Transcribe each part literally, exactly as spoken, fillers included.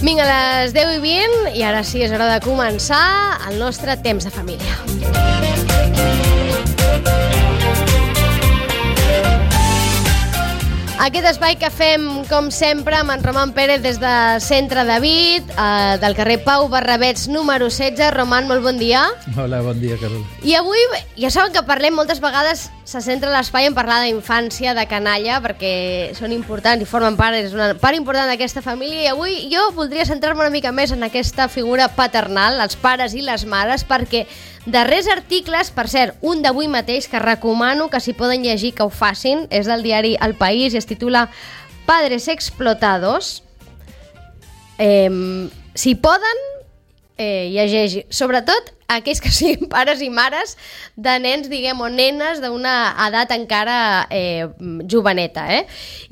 Vinga, a les deu i vint, i ara sí és hora de començar el nostre temps de família. Aquest espai que fem, com sempre, amb en Roman Pérez des de Centre David, eh, del carrer Pau Barrabets, número setze. Roman, molt bon dia. Hola, bon dia, Carol. I avui, ja saben que parlem moltes vegades, se centra l'espai en parlar d'infància, de canalla, perquè són importants i formen part, és una part important d'aquesta família, i avui jo voldria centrar-me una mica més en aquesta figura paternal, els pares i les mares, perquè darrers articles, per cert, un d'avui mateix, que recomano que si poden llegir que ho facin, és del diari El País i es titula Padres explotados. Eh, si poden, eh, llegeixi. Sobretot aquells que siguin pares i mares de nens, diguem, o nenes d'una edat encara eh, joveneta, eh?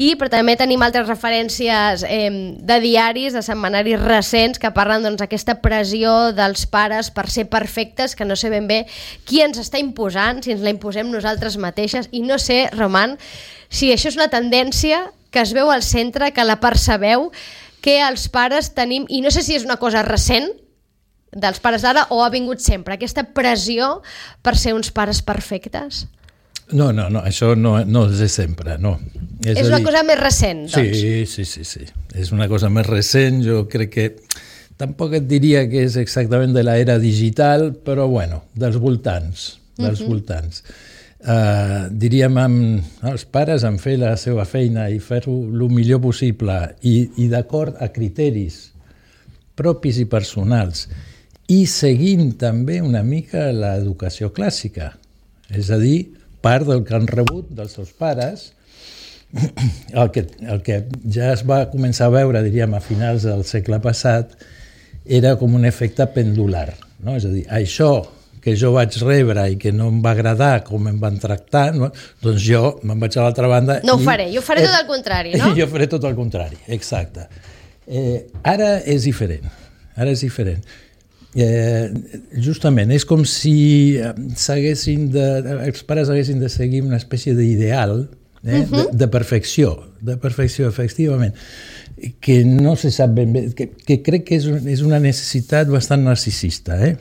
I però també tenim altres referències eh, de diaris, de setmanaris recents que parlen doncs d'aquesta pressió dels pares per ser perfectes, que no sé ben bé qui ens està imposant, si ens la imposem nosaltres mateixes, i no sé, Roman, si això és una tendència que es veu al centre, que la percebeu, que els pares tenim, i no sé si és una cosa recent dels pares d'ara o ha vingut sempre, aquesta pressió per ser uns pares perfectes? No, no, no, això no, no és de sempre, no. És, és una dir... cosa més recent, doncs? Sí, sí, sí, sí. És una cosa més recent, jo crec que tampoc et diria que és exactament de l'era digital, però bueno, dels voltants, dels uh-huh. voltants. Uh, diríem, amb, els pares han fet la seva feina i fer-ho el millor possible i, i d'acord a criteris propis i personals, i seguint també una mica l'educació clàssica, és a dir, part del que han rebut dels seus pares, el que, el que ja es va començar a veure, diríem, a finals del segle passat, era com un efecte pendular, no? És a dir, això que jo vaig rebre i que no em va agradar com em van tractar, no? Doncs jo me'n vaig a l'altra banda... No ho i, faré, jo faré tot el contrari, no? Jo faré tot el contrari, exacte. Eh, ara és diferent, ara és diferent. Eh, justament, és com si s'haguessin de, els pares haguessin de seguir una espècie d'ideal eh, uh-huh. de, de perfecció, de perfecció, efectivament, que no se sap ben bé, que, que crec que és, és una necessitat bastant narcisista. Eh?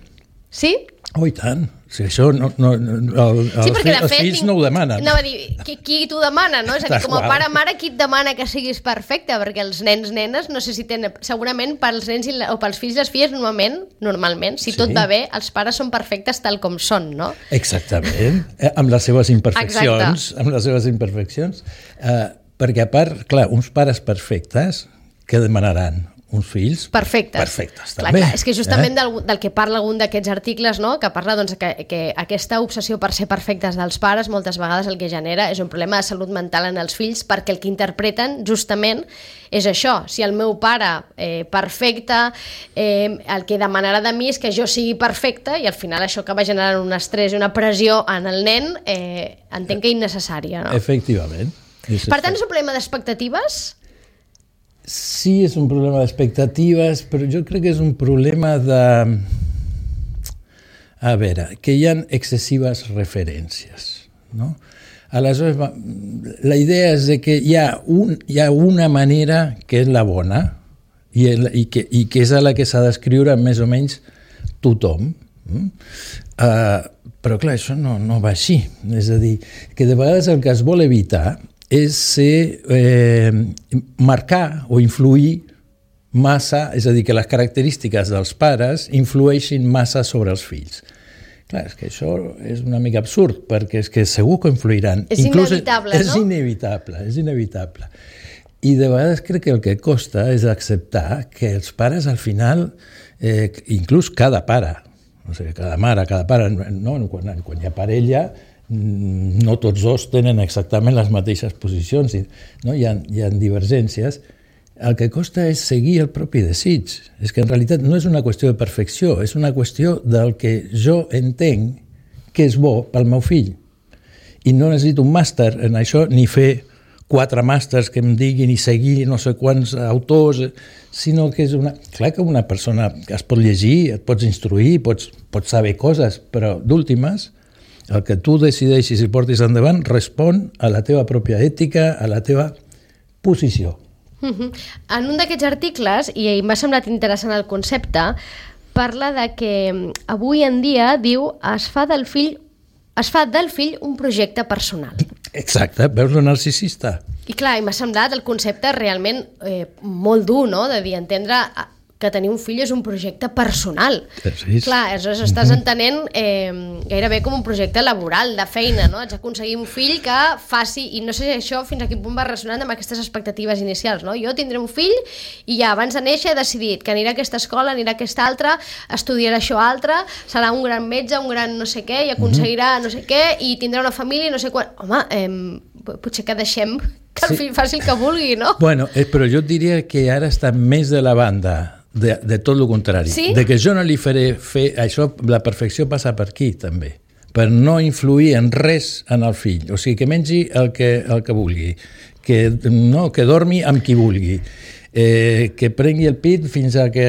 Sí? Oh, i tant. O sigui, això no, no, el, sí, els, fi, els fills no ho demanen. No, va dir, qui, qui t'ho demana, no? És a dir, com a pare mare, qui et demana que siguis perfecte? Perquè els nens, nenes, no sé si tenen... Segurament pels nens i, o pels fills i les filles, normalment, normalment, si sí. tot va bé, els pares són perfectes tal com són, no? Exactament. Eh, amb les seves imperfeccions. Exacte. Amb les seves imperfeccions. Eh, perquè, a part, clar, uns pares perfectes, què demanaran? Uns fills perfectes, perfectes clar, també. Clar, és que justament eh? del, del que parla algun d'aquests articles, no? Que parla doncs, que, que aquesta obsessió per ser perfectes dels pares moltes vegades el que genera és un problema de salut mental en els fills, perquè el que interpreten justament és això. Si el meu pare eh, perfecte, eh, el que demanarà de mi és que jo sigui perfecta, i al final això acaba generant un estrès i una pressió en el nen, eh, entenc que innecessària, no? Efectivament. Per tant, és un problema d'expectatives? Sí, és un problema d'expectatives, però jo crec que és un problema de... A veure, que hi ha excessives referències, no? Aleshores, la idea és que hi ha, un, hi ha una manera que és la bona i, el, i, que, i que és a la que s'ha d'escriure més o menys tothom. Uh, però clar, això no, no va així. És a dir, que de vegades el que es vol evitar és ser, eh, marcar o influir massa, és a dir, que les característiques dels pares influeixin massa sobre els fills. Clar, és que això és una mica absurd, perquè és que segur que influiran. És Inclús inevitable, és, no? És inevitable, és inevitable. I de vegades crec que el que costa és acceptar que els pares al final, eh, inclús cada pare, o sigui, cada mare, cada pare, no? quan, quan hi ha parella, no tots dos tenen exactament les mateixes posicions, no? hi, ha, hi ha divergències. El que costa és seguir el propi desig. És que en realitat no és una qüestió de perfecció, és una qüestió del que jo entenc que és bo pel meu fill. I no necessito un màster en això, ni fer quatre màsters que em diguin i seguir no sé quants autors, sinó que és una... Clar que una persona que es pot llegir, et pots instruir, pots, pots saber coses, però d'últimes, el que tu decideixis i portis endavant respon a la teva pròpia ètica, a la teva posició. Uh-huh. En un d'aquests articles, i m'ha semblat interessant el concepte, parla de que avui en dia, diu, es fa del fill es fa del fill un projecte personal. Exacte, veus el narcisista? I clar, i m'ha semblat el concepte realment eh, molt dur, no?, de dir, entendre que tenir un fill és un projecte personal. Sí. Clar, aleshores estàs entenent eh, gairebé com un projecte laboral, de feina, no? Haig d'aconseguir un fill que faci, i no sé si això fins a quin punt va ressonant amb aquestes expectatives inicials, no? Jo tindré un fill i ja abans de néixer he decidit que anirà a aquesta escola, anirà a aquesta altra, estudiarà això altre, serà un gran metge, un gran no sé què, i aconseguirà no sé què, i tindrà una família i no sé quan... Home, eh, potser que deixem que el fill faci el que vulgui, no? Bueno, eh, però jo diria que ara està més de la banda De, de tot el contrari, sí? de que jo no li faré fer això, la perfecció passa per aquí també, per no influir en res en el fill, o sigui que mengi el que, el que vulgui, que, no, que dormi amb qui vulgui, eh, que prengui el pit fins a que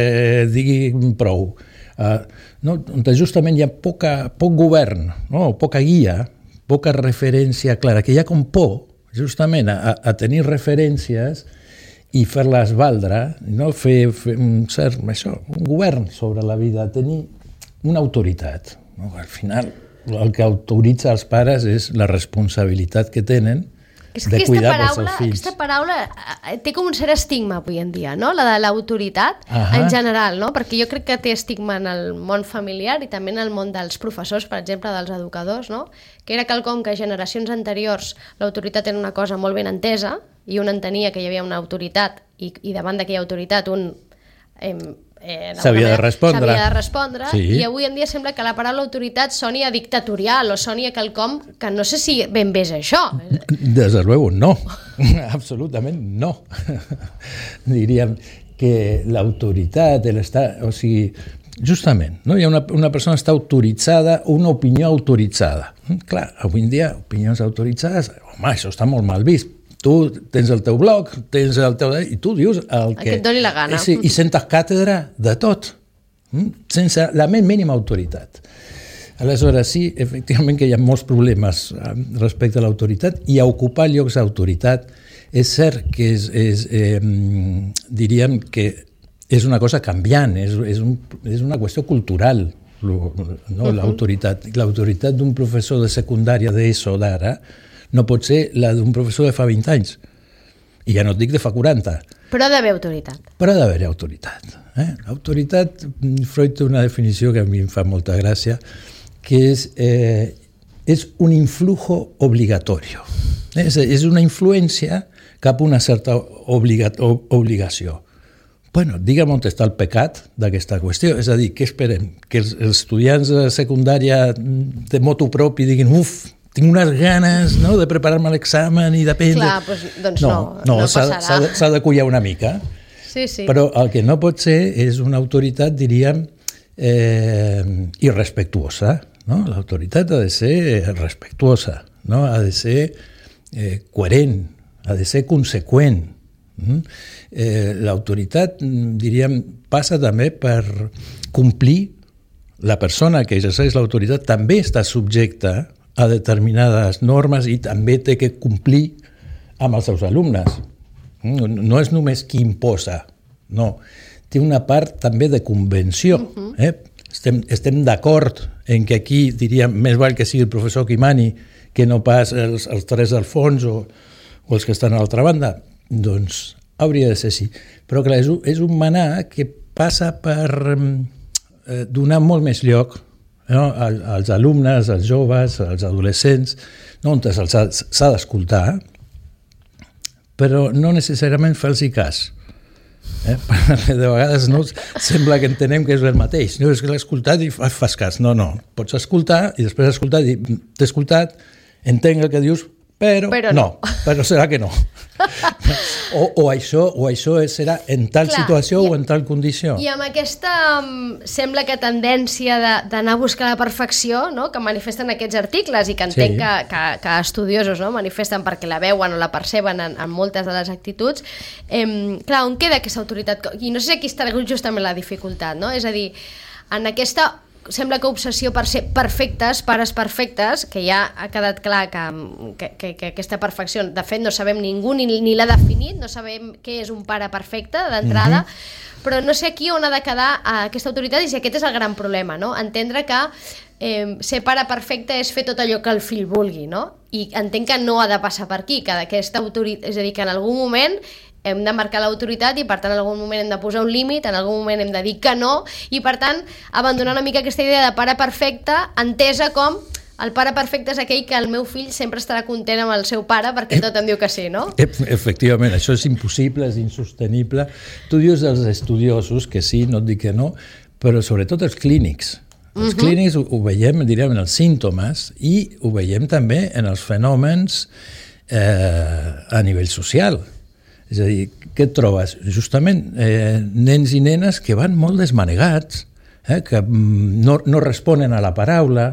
digui prou, uh, no? Justament hi ha poca, poc govern, no? Poca guia, poca referència clara, que hi ha com por justament a, a tenir referències i fer-les valdre, no? fer, fer un cert, això, un govern sobre la vida, tenir una autoritat. No? Al final, el que autoritza els pares és la responsabilitat que tenen és de cuidar paraula, dels seus fills. Aquesta paraula té com un cert estigma avui en dia, no? La de l'autoritat Ahà. en general, no? Perquè jo crec que té estigma en el món familiar i també en el món dels professors, per exemple, dels educadors, no? Que era quelcom que a generacions anteriors l'autoritat era una cosa molt ben entesa i un entenia que hi havia una autoritat i, i davant d'aquella autoritat un eh, eh, s'havia de respondre, s'havia de respondre sí. I avui en dia sembla que la paraula autoritat soni a dictatorial o soni a quelcom que no sé si ben bé és això. Desde luego no, absolutament no. Diríem que l'autoritat, l'estat, o sigui, justament, no? Hi ha una, una persona està autoritzada, una opinió autoritzada. Clar, avui en dia, opinions autoritzades, home, això està molt mal vist. Tu tens el teu blog, tens el teu... i tu dius el que... que et doni la gana. Sí, i sentes càtedra de tot, sense la més mínima autoritat. Aleshores, sí, efectivament que hi ha molts problemes respecte a l'autoritat i a ocupar llocs d'autoritat. És cert que és, és eh, diríem que és una cosa canviant, és, és, un, és una qüestió cultural, no? L'autoritat. L'autoritat d'un professor de secundària d'ESO d'ara no pot ser la d'un professor de fa vint anys. I ja no et dic de fa quaranta. Però ha d'haver autoritat. Però ha d'haver autoritat. Eh? Autoritat, Freud té una definició que a mi em fa molta gràcia, que és, eh, és un influjo obligatorio. És, és una influència cap a una certa obliga, obligació. Bueno, digue'm on està el pecat d'aquesta qüestió. És a dir, què esperem? Que els, els estudiants de secundària de motu propi diguin uf, tinc unes ganes, no?, de preparar-me l'examen i d'aprendre... Clar, doncs, doncs no, no, no, no s'ha, passarà. s'ha, s'ha de collar una mica. Sí, sí. Però el que no pot ser és una autoritat, diríem, eh, irrespectuosa. No? L'autoritat ha de ser respectuosa, no? Ha de ser eh, coherent, ha de ser conseqüent. Mm? Eh, l'autoritat, diríem, passa també per complir. La persona que exerceix l'autoritat també està subjecta a determinades normes i també té que complir amb els seus alumnes. No és només qui imposa, no. Té una part també de convenció. Uh-huh. eh? Estem, estem d'acord en que aquí, diríem, més val que sigui el professor qui mani que no pas els, els tres al fons o, o els que estan a l'altra banda. Doncs hauria de ser així. Però clar, és un, és un manar que passa per eh, donar molt més lloc, no? als alumnes, als joves, als adolescents, no? On s'ha d'escoltar, però no necessàriament fer-los cas. Eh? De vegades no, sembla que entenem que és el mateix. No, és que l'he escoltat i fas cas. No, no. Pots escoltar i després escoltar i dir, t'he escoltat, entenc el que dius, però, però no. no. Però serà que no. O, o, això, o això serà en tal Clar, situació i, o en tal condició. I amb aquesta, um, sembla que tendència d'anar a buscar la perfecció, no?, que manifesten aquests articles i que entenc sí. que, que, que estudiosos, no?, manifesten perquè la veuen o la perceben en, en moltes de les actituds, eh, clar, on queda aquesta autoritat? I no sé si aquí està justament la dificultat, no? És a dir, en aquesta sembla que obsessió per ser perfectes, pares perfectes, que ja ha quedat clar que, que, que, que aquesta perfecció, de fet no sabem ningú ni, ni l'ha definit, no sabem què és un pare perfecte d'entrada, mm-hmm. però no sé aquí on ha de quedar aquesta autoritat i si aquest és el gran problema, no? Entendre que eh, ser pare perfecte és fer tot allò que el fill vulgui, no? I entenc que no ha de passar per aquí, que aquesta autoritat, és a dir, que en algun moment hem de marcar l'autoritat i per tant en algun moment hem de posar un límit, en algun moment hem de dir que no i per tant abandonar una mica aquesta idea de pare perfecte entesa com el pare perfecte és aquell que el meu fill sempre estarà content amb el seu pare perquè tot em diu que sí, no? Efectivament, això és impossible, és insostenible. Tu dius dels estudiosos que sí, no et dic que no, però sobretot els clínics. Els uh-huh. clínics ho, ho veiem, diríem, en els símptomes i ho veiem també en els fenòmens eh, a nivell social. És a dir, què et trobes? Justament eh, nens i nenes que van molt desmanegats, eh, que no, no responen a la paraula,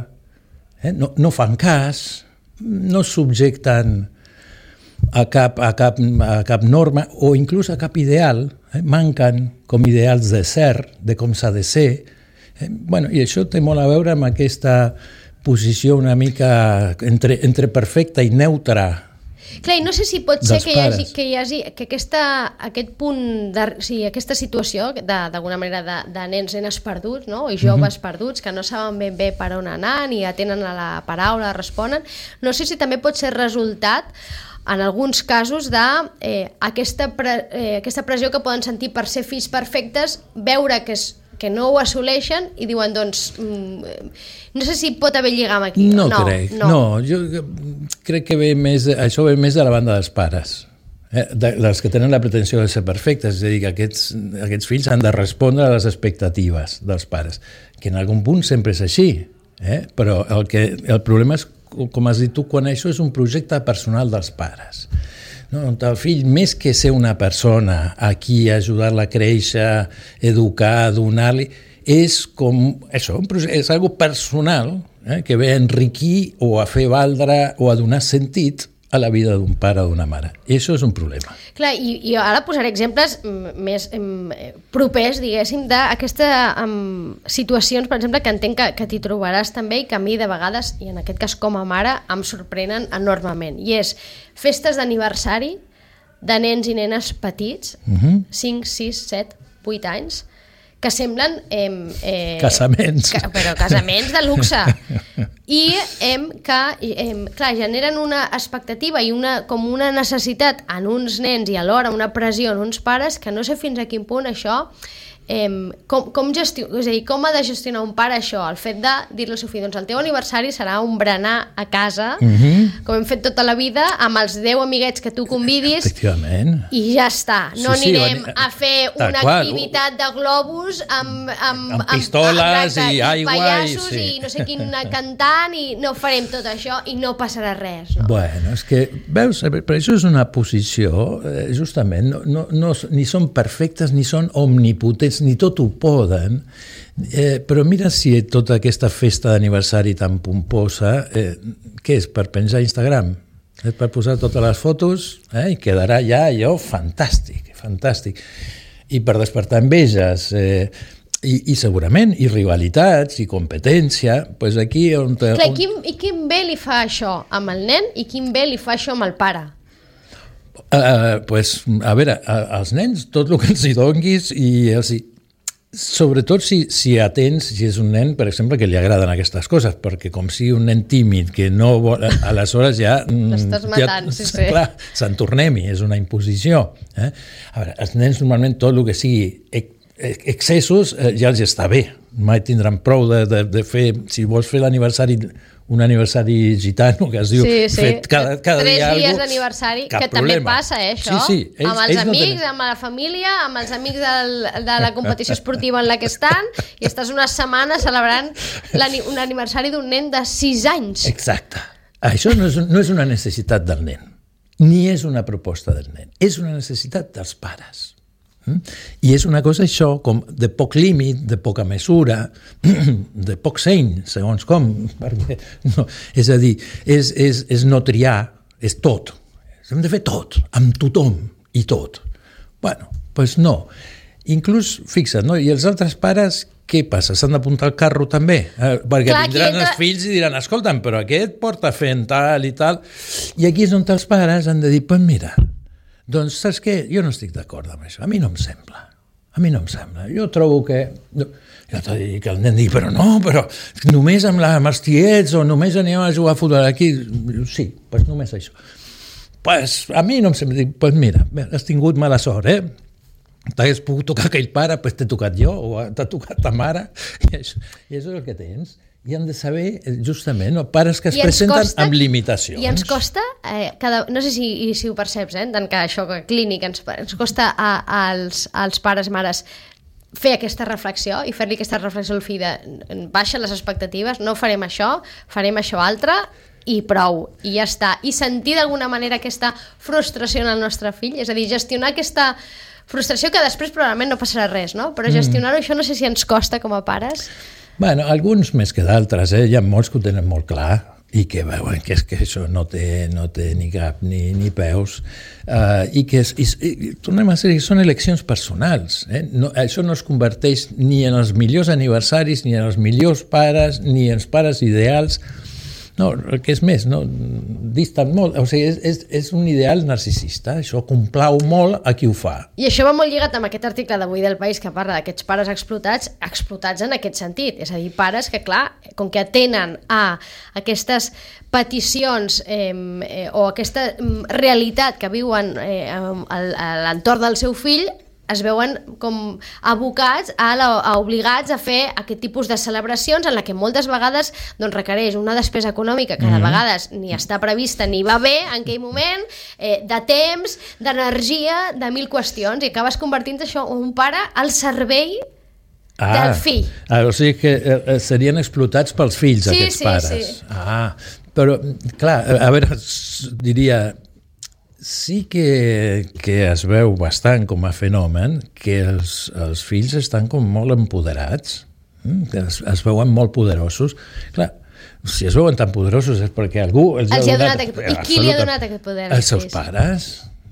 eh, no, no fan cas, no subjecten a cap, a cap, a cap norma o inclús a cap ideal, eh, manquen com ideals de ser, de com s'ha de ser. Eh, bueno, i això té molt a veure amb aquesta posició una mica entre, entre perfecta i neutra. Clar, i no sé si pot ser que hi hagi, que hi hagi que aquesta, aquest punt, de, o sigui, aquesta situació d'alguna manera de, de nens, nenes perduts, no? I joves uh-huh. perduts, que no saben ben bé per on anar, ni atenen a la paraula, responen, no sé si també pot ser resultat en alguns casos d'aquesta eh, aquesta pre, eh, aquesta pressió que poden sentir per ser fills perfectes, veure que és que no ho assoleixen i diuen, doncs, mm, no sé si pot haver lligam aquí. No, no crec, no. no. Jo crec que ve més, això ve més de la banda dels pares, eh? de, dels que tenen la pretensió de ser perfectes, és a dir, que aquests, aquests fills han de respondre a les expectatives dels pares, que en algun punt sempre és així, eh? Però el, que, el problema és, com has dit tu, quan això és un projecte personal dels pares. No, el fill, més que ser una persona a qui ajudar-la a créixer, educar, donar-li, és com això, és algo personal eh, que ve a enriquir o a fer valdre o a donar sentit a la vida d'un pare o d'una mare. I això és un problema. Clar, i, i ara posaré exemples més em, propers, diguéssim, d'aquestes situacions, per exemple, que entenc que, que t'hi trobaràs també i que a mi de vegades, i en aquest cas com a mare, em sorprenen enormement. I és festes d'aniversari de nens i nenes petits, uh-huh. cinc, sis, set, vuit anys, que semblen... Eh, eh, casaments. Que, però casaments de luxe. I eh, que, eh, clar, generen una expectativa i una, com una necessitat en uns nens i alhora una pressió en uns pares que no sé fins a quin punt això... Eh, com, com, gestio, és a dir, com ha de gestionar un pare això, el fet de dir-li al seu fill, doncs el teu aniversari serà un berenar a casa, uh-huh. com hem fet tota la vida, amb els deu amiguets que tu convidis, i ja està. No sí, anirem sí, a fer una qual. activitat de globus amb, amb, amb pistoles amb, amb, i aigua pallassos i, sí. i no sé quin cantant, i no farem tot això i no passarà res. No? Bueno, és que, veus, però això és una posició, eh, justament, no, no, no, ni són perfectes ni són omnipotents, ni tot ho poden, eh, però mira si tota aquesta festa d'aniversari tan pomposa, eh, què és, per penjar a Instagram? És per posar totes les fotos eh, i quedarà ja allò fantàstic, fantàstic. I per despertar enveges, eh, i, i segurament, i rivalitats, i competència, doncs aquí... On te, Clar, on... quin, I quin bé li fa això amb el nen i quin bé li fa això amb el pare? Uh, pues, a veure, als nens tot el que els hi donguis i els hi... Sobretot si, si atens, si és un nen, per exemple, que li agraden aquestes coses, perquè com sigui un nen tímid que no vol, aleshores ja... L'estàs matant, ja, sí, sí. Clar, s'entornem-hi, és una imposició. Eh? A veure, els nens normalment tot el que sigui excessos eh, ja els està bé. Mai tindran prou de, de, de fer... Si vols fer l'aniversari... un aniversari gitano, que es diu, sí, sí. fet cada, cada Tres dia alguna cosa... Tres dies d'aniversari, que problema. També passa, eh, això. Sí, sí. Ells, amb els ells amics, no tenen... amb la família, amb els amics del, de la competició esportiva en la que estan, i estàs una setmana celebrant un aniversari d'un nen de sis anys. Exacte. Això no és, no és una necessitat del nen, ni és una proposta del nen, és una necessitat dels pares. I és una cosa això com de poc límit, de poca mesura, de poc seny, segons com, perquè no, és a dir, és, és, és no triar, és tot. Hem de fer tot, amb tothom i tot. Bueno, doncs no. inclús, fixa't, no? I els altres pares, què passa? S'han d'apuntar al carro també? Eh, perquè Clar, vindran entra... els fills i diran, escolta'm, però aquest porta fent tal i tal. I aquí és on els pares han de dir, pues mira, doncs saps què? Jo no estic d'acord amb això. A mi no em sembla. A mi no em sembla. Jo trobo que... Jo t'ho dic que el nen digui, però no, però només amb, la, amb els tiets o només anem a jugar a futbol aquí. Sí, doncs només això. Pues a mi no em sembla. Dic, pues mira, has tingut mala sort, eh? T'hagués pogut tocar aquell pare, pues t'he tocat jo, o t'ha tocat ta mare, i això, i això és el que tens. I han de saber, justament, no? Pares que es presenten costa, amb limitacions. I ens costa, eh, cada, no sé si, si ho perceps, eh, tant que això que clínic ens, ens costa a, a als, als pares, mares, fer aquesta reflexió i fer-li aquesta reflexió al fill de baixa les expectatives, no farem això, farem això altre, i prou, i ja està. I sentir d'alguna manera aquesta frustració en el nostre fill, és a dir, gestionar aquesta frustració que després probablement no passarà res, no? Però gestionar-ho, mm. això no sé si ens costa com a pares. Bueno, alguns més que d'altres, eh? Hi ha molts que ho tenen molt clar i que veuen que, és que això no té, no té ni cap ni, ni peus, uh, i que és, i, i, tornem a dir que són eleccions personals. Eh? No, això no es converteix ni en els millors aniversaris, ni en els millors pares, ni en els pares ideals. No, el que és més, no, distant molt, o sigui, és, és, és un ideal narcisista, això complau molt a qui ho fa. I això va molt lligat amb aquest article d'avui del País que parla d'aquests pares explotats, explotats en aquest sentit, és a dir, pares que, clar, com que atenen a aquestes peticions eh, eh, o aquesta realitat que viuen eh, a l'entorn del seu fill, es veuen com abocats a, la, a obligats a fer aquest tipus de celebracions en la que moltes vegades doncs, requereix una despesa econòmica que de mm-hmm. vegades ni està prevista ni va bé en aquell moment, eh, de temps, d'energia, de mil qüestions, i acabes convertint això en un pare al servei ah, del fill. Ah, o sigui que eh, serien explotats pels fills, sí, aquests sí, pares. Sí. Ah, però, clar, a veure, diria... Sí que, que es veu bastant com a fenomen que els, els fills estan com molt empoderats, que es, es veuen molt poderosos. Clar, si es veuen tan poderosos és perquè algú els, els ha donat... donat aquest, I qui li ha donat aquest poder? Els seus pares.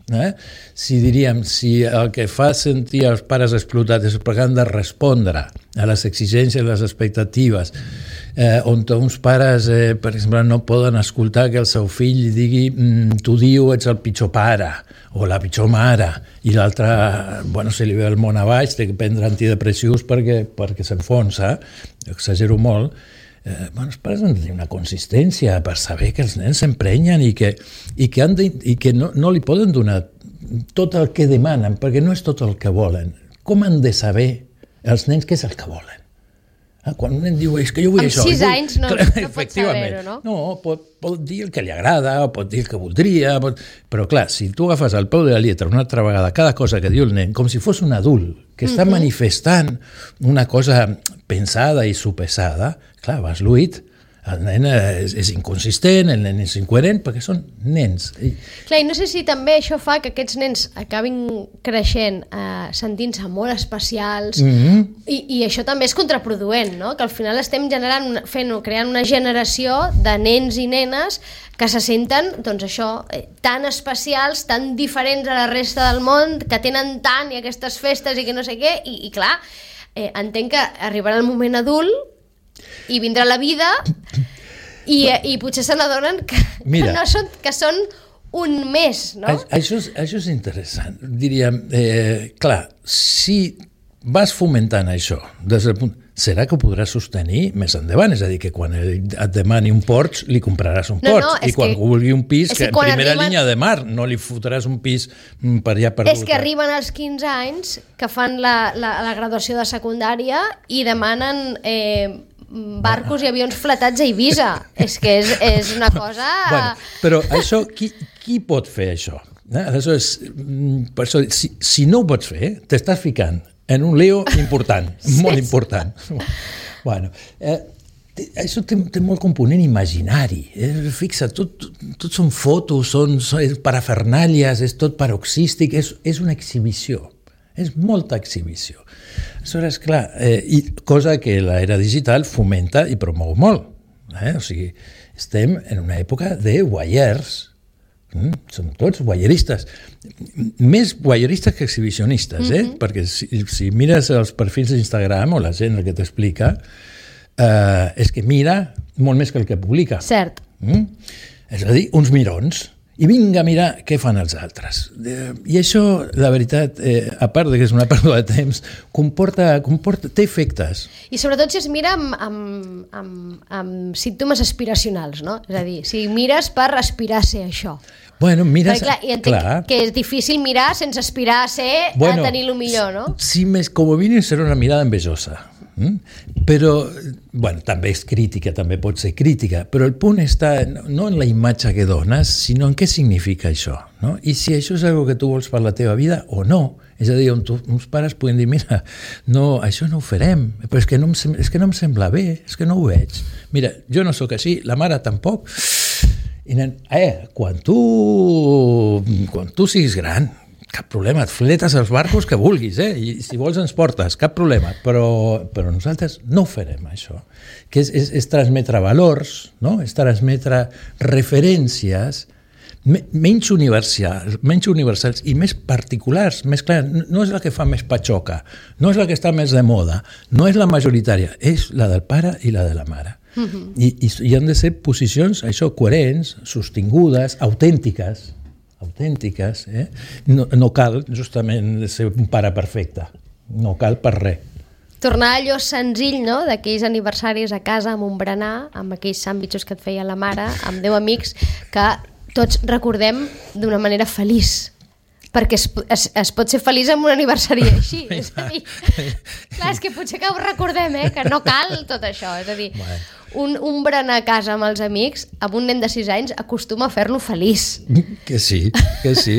Eh? Si diríem, si el que fa sentir els pares explotats és perquè han de respondre a les exigències, a les expectatives, eh, on uns pares, eh, per exemple, no poden escoltar que el seu fill digui mm, tu diu ets el pitjor pare o la pitjor mare, i l'altre, bueno, se li ve el món a baix, té que prendre antidepressius perquè, perquè s'enfonsa, exagero molt. Eh, bueno, els pares han de tenir una consistència per saber que els nens s'emprenyen i que, i que, han de, i que no, no li poden donar tot el que demanen, perquè no és tot el que volen. Com han de saber els nens què és el que volen? Ah, quan un nen diu, és que jo vull amb això... Amb sis anys no, clar, no pot saber-ho, no? No, pot, pot dir el que li agrada, o pot dir el que voldria, pot... però clar, si tu agafes al peu de la lletra una altra vegada cada cosa que diu el nen, com si fos un adult que està mm-hmm. manifestant una cosa pensada i sopesada, clar, vas lluït. El nen és, és inconsistent, el nen és incoherent, perquè són nens. Clar, i no sé si també això fa que aquests nens acabin creixent eh, sentint-se molt especials, mm-hmm. i, i això també és contraproduent, no? Que al final estem generant, fent, creant una generació de nens i nenes que se senten, doncs això, eh, tan especials, tan diferents a la resta del món, que tenen tant i aquestes festes i que no sé què, i, i clar, eh, entenc que arribarà el moment adult i vindrà la vida i, i potser se n'adonen que, que, no són, que són un mes, no? Això és, això és interessant. Diríem, eh, clar, si vas fomentant això des del punt, serà que ho podràs sostenir més endavant? És a dir, que quan et demani un Porsche li compraràs un Porsche, no, no, i quan que, vulgui un pis, que, que en primera arriben... línia de mar no li fotràs un pis per allà perdut. És que arriben als quinze anys, que fan la, la, la graduació de secundària i demanen... Eh, barcos i avions fletats a Eivissa. És que és, és una cosa... Bueno, però això, qui, qui pot fer això? Eh? Aleshores, per això, si, si no ho pots fer, t'estàs ficant en un lío important, sí, molt important. Bueno, eh, això té, té molt component imaginari. Eh? Fixa't, tot, tot són fotos, són, són parafernàlies, és tot paroxístic, és, és una exhibició. És molta exhibició. Aleshores, clar, eh, i cosa que l'era digital fomenta i promou molt. Eh? O sigui, estem en una època de voyeurs. Mm? Són tots guayeristes, més guayeristes que exhibicionistes, eh? Mm-hmm. Perquè si, si mires els perfils d'Instagram o la gent el que t'explica, eh, és que mira molt més que el que publica. Cert. Mm? És a dir, uns mirons. I vinga a mirar què fan els altres. I això, la veritat, eh, a part que és una pèrdua de temps, comporta, comporta, té efectes. I sobretot si es mira amb, amb, amb, amb símptomes aspiracionals, no? És a dir, si mires per aspirar a ser això. Bueno, mires... Perquè, clar, i entenc clar. que és difícil mirar sense aspirar a ser, bueno, a tenir el millor, no? Sí, més, com a mínim serà una mirada envejosa. Mm? Però, bueno, també és crítica, també pot ser crítica, però el punt està no en la imatge que dones, sinó en què significa això, no? I si això és una que tu vols per la teva vida o no. És a dir, on tu, uns pares poden dir, mira, no, això no ho farem, però és que, no em, és que no em sembla bé, és que no ho veig. Mira, jo no sóc així, la mare tampoc. I nen, eh, quan tu, quan tu siguis gran, cap problema, et fletes els barcos que vulguis, eh? I si vols ens portes, cap problema, però, però nosaltres no farem això, que és, és, és transmetre valors, no? És transmetre referències me, menys universals, menys universals i més particulars, més clar, no és la que fa més patxoca, no és la que està més de moda, no és la majoritària, és la del pare i la de la mare. Uh-huh. I, i, i han de ser posicions, això, coherents, sostingudes, autèntiques, autèntiques, eh? No, no cal justament ser un pare perfecte, no cal per res. Tornar a allò senzill, no?, d'aquells aniversaris a casa amb un berenar, amb aquells sàndwitxos que et feia la mare, amb deu amics, que tots recordem d'una manera feliç, perquè es, es, es pot ser feliç amb un aniversari així, és a dir, clar, és que potser que ho recordem, eh, que no cal tot això, és a dir, bueno. un, un berenar a casa amb els amics, amb un nen de sis anys, acostuma a fer-lo feliç. Que sí, que sí,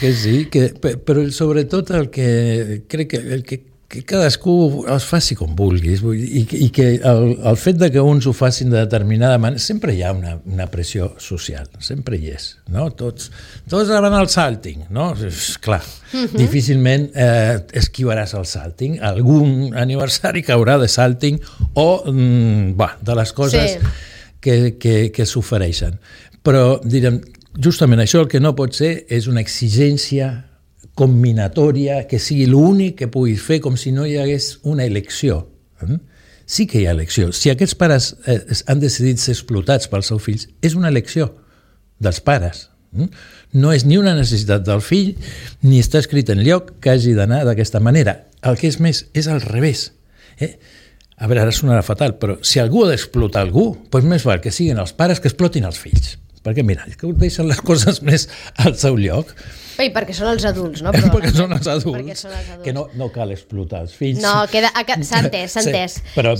que sí, que, però sobretot el que crec que, el que que cadascú els faci com vulguis i, i que el, el fet de que uns ho facin de determinada manera, sempre hi ha una, una pressió social, sempre hi és, no? Tots, tots van al salting, no? És clar, uh-huh. Difícilment eh, esquivaràs el salting, algun aniversari caurà de salting o mm, bah, de les coses sí. que, que, que s'ofereixen. Però, direm, justament això el que no pot ser és una exigència combinatòria, que sigui l'únic que puguis fer, com si no hi hagués una elecció. Sí que hi ha elecció. Si aquests pares eh, han decidit ser explotats pels seus fills, és una elecció dels pares. No és ni una necessitat del fill, ni està escrit en lloc que hagi d'anar d'aquesta manera. El que és més, és al revés. Eh? A veure, ara sonarà fatal, però si algú ha d'explotar algú, doncs més val que siguin els pares que explotin els fills. Perquè, mira, que deixen les coses més al seu lloc. I perquè són els adults, no? Però, perquè són els adults, perquè són els adults. Que no, no cal explotar els fills. No, queda, s'ha entès, s'ha entès. Sí, però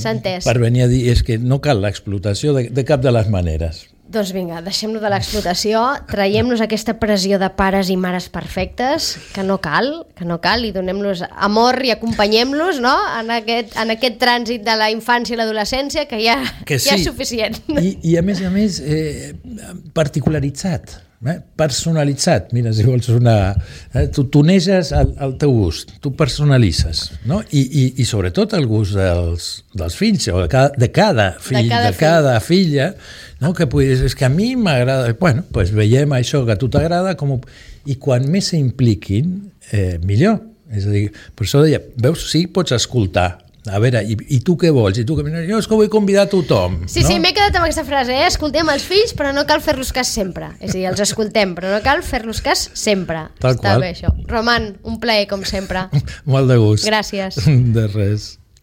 per venir a dir és que no cal l'explotació de, de cap de les maneres. Doncs vinga, deixem-nos de l'explotació, traiem-nos aquesta pressió de pares i mares perfectes, que no cal, que no cal, i donem-los amor i acompanyem-los, no?, en aquest, en aquest trànsit de la infància i l'adolescència, que ja, que sí. ja és suficient. I, I a més a més, eh, particularitzat. Eh? Personalitzat, mira, si vols una... Eh? Tu tuneges el, el teu gust, tu personalitzes, no? I, i, i sobretot el gust dels, dels fills, o de cada, de cada fill, de cada, de cada fill. filla, no? Que puguis, és que a mi m'agrada... Bueno, doncs veiem això que a tu t'agrada, com ho... i quan més s'impliquin, eh, millor. És a dir, per això deia, veus, sí, pots escoltar. A veure, i, i tu què vols? I tu què... Jo és que vull convidar a tothom. Sí, no? sí, m'he quedat amb aquesta frase, eh? Escoltem els fills, però no cal fer-los cas sempre. És a dir, els escoltem, però no cal fer-los cas sempre. Tal Està qual. bé, això. Roman, un plaer, com sempre. Molt de gust. Gràcies. De res.